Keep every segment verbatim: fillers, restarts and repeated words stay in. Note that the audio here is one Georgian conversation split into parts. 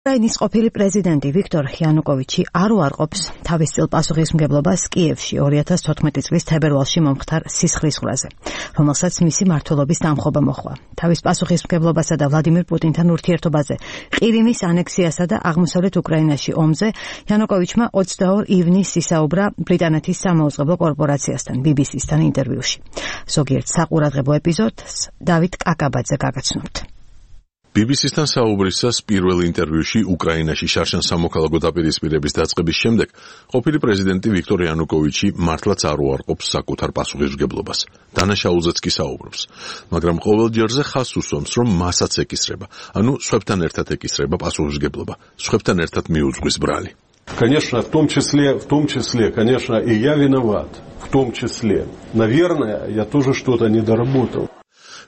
უკრაინის ყოფილი პრეზიდენტი ვიქტორ იანუკოვიჩი არ უარყოფს თავის წილ პასუხისმგებლობას კიევში ორი ათას თოთხმეტი წლის თებერვალში მომხდარ სისხლისღვრაზე, რომელსაც მისი მმართველობის დამხობა მოჰყვა. თავის პასუხისმგებლობასა და ვლადიმირ პუტინთან ურთიერთობაზე, ყირიმის ანექსიასა და აღმოსავლეთ უკრაინაში ომზე იანუკოვიჩმა ოცდაორ ივნისს ისაუბრა ბრიტანეთის სამაუწყებლო კორპორაციასთან ბი ბი სისთან ინტერვიუში. ზოგიერთ საყურადღებო ეპიზოდს დავით კაკაბაძე გაგაცნობთ. ბი ბი სისთან საუბრისას პირველ ინტერვიუში უკრაინაში შარშან სამოქალაქო დაპირისპირების დაწყების შემდეგ ყოფილი პრეზიდენტი ვიქტორ იანუკოვიჩი მართლაც არ უარყოფს საკუთარ პასუხისმგებლობას. დანაშაულზეც კი საუბრობს, მაგრამ ყოველ ჯერზე ხაზს უსვამს, რომ მასაც ეკისრება, ანუ სხვებთან ერთად ეკისრება პასუხისმგებლობა, სხვებთან ერთად მიუძღვის ბრალი. Конечно, в том числе, в том числе, конечно, и я виноват, в том числе. Наверное, я тоже что-то недоработал.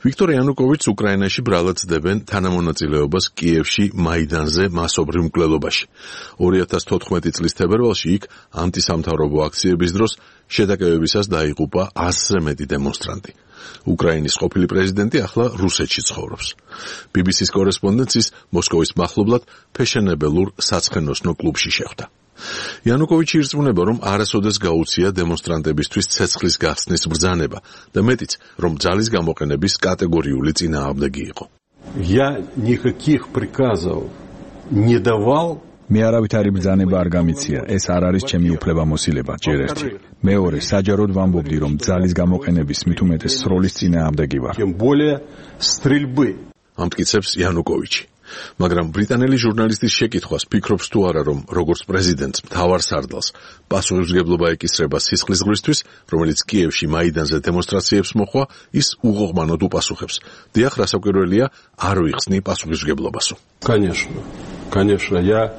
ვიქტორ იანუკოვიჩს უკრაინაში ბრალად ცდებენ თანამონაწილეობას კიევში მაიდანზე მასობრივ მკვლელობაში. ორი ათას თოთხმეტი წლის თებერვალში იქ ანტისამთავრობო აქციების დროს შეტაკებებისას დაიღუპა ასზე მეტი დემონსტრანტი. უკრაინის ყოფილი პრეზიდენტი ახლა რუსეთში ცხოვრობს. ბი ბი სის კორესპონდენტის მოსკოვის მახლობლად ფეშენებელურ საცხენოსნო კლუბში შეხვდა. იანუკოვიჩი ირწმუნება, რომ არასოდეს გაუწია დემონსტრანტებისთვის ცეცხლის გახსნის ბრძანება და მეტიც, რომ ძალის გამოყენების კატეგორიული წინააღმდეგი იყო. Я никаких приказов не давал. მე არავითარი ბრძანება არ გამიცია, ეს არ არის ჩემი უფლებამოსილება, ჯერ ერთი. მეორე, საჯაროდ ვამბობდი, რომ ძალის გამოყენების მით უმეტეს სროლის წინააღმდეგი ვარ. Тем более стрельбы. ამტკიცებს იანუკოვიჩი. მაგრამ ბრიტანელი ჟურნალისტის შეკითხვას ფიქრობს თუ არა, რომ როგორც პრეზიდენტს მთავარ სარდალს პასუხისმგებლობა ეკისრება სისხლისღვრისთვის, რომელიც კიევში მაიდანზე დემონსტრაციებს მოჰყვა, ის უღოღმანოდ უპასუხებს. დიახ, რასაკვირველია, არ ვიხსნი პასუხისმგებლობასო. Конечно, конечно, я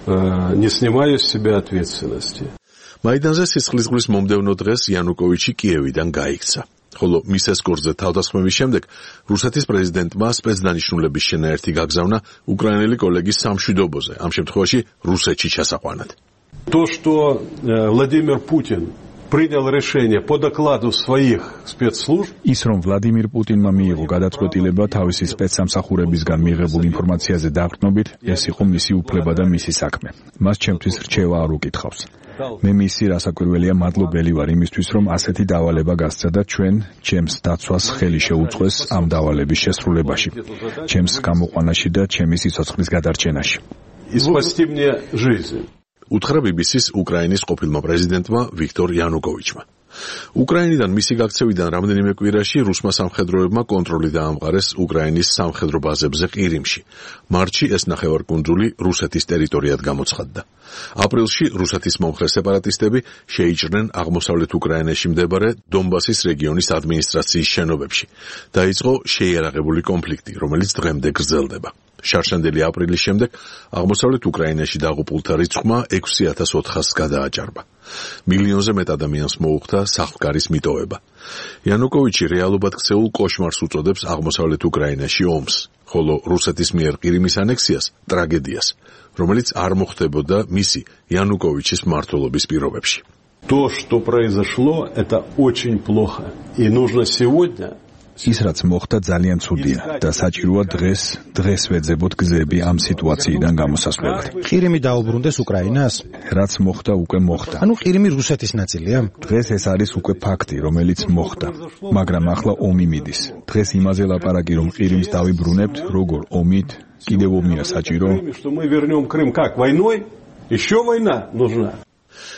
э, не снимаю с себя ответственности. მაიდანზე სისხლისღვრის მომდევნო დღეს იანუკოვიჩი კიევიდან გაიქცა. ხოლო მის ესკორტზე თავდასხმების შემდეგ რუსეთის პრეზიდენტმა სპეცდანიშნულების შენაერთი გაგზავნა უკრაინელი კოლეგის სამშვიდობოზე, ამ შემთხვევაში რუსეთში ჩასაყვანად. То, что Владимир Путин принял решение по докладу своих спецслужб, ის რომ ვლადიმირ პუტინმა მიიღო გადაწყვეტილება თავისი სპეცსამსახურებისგან მიიღებულ ინფორმაციაზე დაყრდნობით, ეს იყო მისი უფლება და მისი საქმე. მას ჩემთვის რჩევა არ უკითხავს. მე მისი რასაკვირველია მადლობელი ვარ იმისთვის, რომ ასეთი დავალება გასცა და ჩვენ ჩემს დაცვას ხელი შეუწყეს ამ დავალების შესრულებაში, ჩემს გამოყვანაში და ჩემი სიცოცხლის გადარჩენაში. И спасти мне жизнь. უთხრა ბი ბი სის უკრაინის ყოფილმა პრეზიდენტმა ვიქტორ იანუკოვიჩმა. უკრაინიდან მისი გაქცევიდან რამდენიმე კვირაში რუსმა სამხედროებმა კონტროლი დაამყარეს უკრაინის სამხედრო ბაზებზე ყირიმში. მარტში ეს ნახევარკუნძული რუსეთის ტერიტორიად გამოცხადდა. აპრილში რუსეთის მომხრე სეპარატისტები შეიჭრნენ აღმოსავლეთ უკრაინაში მდებარე დონბასის რეგიონის ადმინისტრაციის შენობებში. დაიწყო შეიარაღებული კონფლიქტი, რომელიც დღემდე გრძელდება. შარშანდელი აპრილის შემდეგ აღმოსავლეთ უკრაინაში დაღუპულთა რიცხვმა ექვსი ათას ოთხასს გადააჭარბა. მილიონზე მეტ ადამიანს მოუხდა სახლგარის მიტოვება. იანუკოვიჩი რეალობად ქცეულ კოშმარს უწოდებს აღმოსავლეთ უკრაინაში ომს, ხოლო რუსეთის მიერ ყირიმის ანექსიას ტრაგედიას, რომელიც არ მოხდებოდა მისი იანუკოვიჩის მმართველობის პირობებში. То, что произошло, это очень плохо. И нужно сегодня ის რაც მოხდა ძალიან ცუდია და საჭიროა დღეს დღეს ვეძებოთ გზები ამ სიტუაციიდან გამოსასვლელად. ყირიმი დაუბრუნდეს უკრაინას? რაც მოხდა უკვე მოხდა. ანუ ყირიმი რუსეთის ნაწილია? დღეს ეს არის უკვე ფაქტი, რომელიც მოხდა. მაგრამ ახლა ომი მიდის. დღეს იმაზე ლაპარაკი, რომ ყირიმს დავიბრუნებთ, როგორ ომით, კიდევ ომია საჭირო. что мы вернем Крым как войной? Еще война нужна.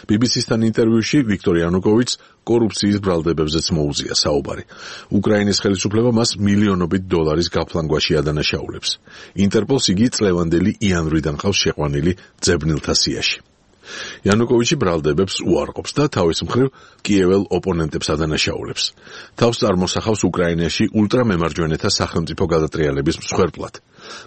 ბი ბი სისთან ინტერვიუში ვიქტორ იანუკოვიჩს კორუფციის ბრალდებებზეც მოუზია საუბარი. უკრაინის ხელისუფლება მას მილიონობით დოლარის გაფლანგვაში ადანაშაულებს. ინტერპოლს იგი წლევანდელი იანვრიდან ყავს შეყვანილი ძებნილთა სიაში. იანუკოვიჩი ბრალდებებს უარყოფს და თავის მხრივ კიეվել ოპონენტებს ადანაშაულებს. თავს წარმოსახავს უკრაინაში ულტრამემარჯვენეთა სახელმწიფო გადატრიალების მსხვერპლად.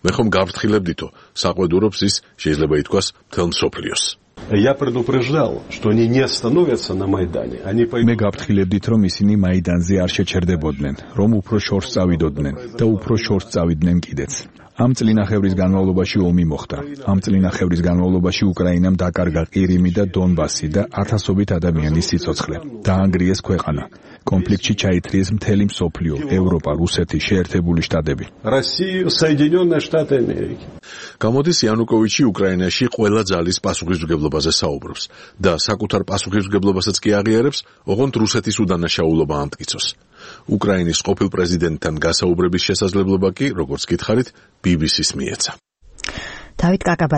მე ხომ გავფრთხილებდითო, საყვედურობს ის, შეიძლება ითქვას, მთელ მსოფლიოს. Я предупреждал, что они не остановятся на Майдане. Они მე გავფრთხილებდით, რომ ისინი მაიდანზე არ შეჩერდებოდნენ, რომ უფრო შორს წავიდოდნენ და უფრო შორს წავიდნენ კიდეც. ამ წლინახევრის განმავლობაში ომი მოხდა. ამ წლინახევრის განმავლობაში უკრაინამ დაკარგა ყირიმი და დონბასი და ათასობით ადამიანის სიცოცხლე. დაანგრიეს ქვეყანა. კონფლიქტში ჩაითრიეს მთელი მსოფლიო, ევროპა, რუსეთი, შეერთებული შტატები. Россия, Соединенные Штаты Америки. გამოდის იანუკოვიჩი უკრაინაში ყველა ძალის პასუხისმგებლობაზე საუბრობს და საკუთარ პასუხისმგებლობასაც კი აღიარებს, ოღონდ რუსეთის უდანაშაულობა ამტკიცოს. უკრაინის ყოფილ პრეზიდენტთან გასაუბრების შესაძლებლობა კი, როგორც გითხარით, ბი ბი სის მიეცა. დავით კაკაბაძე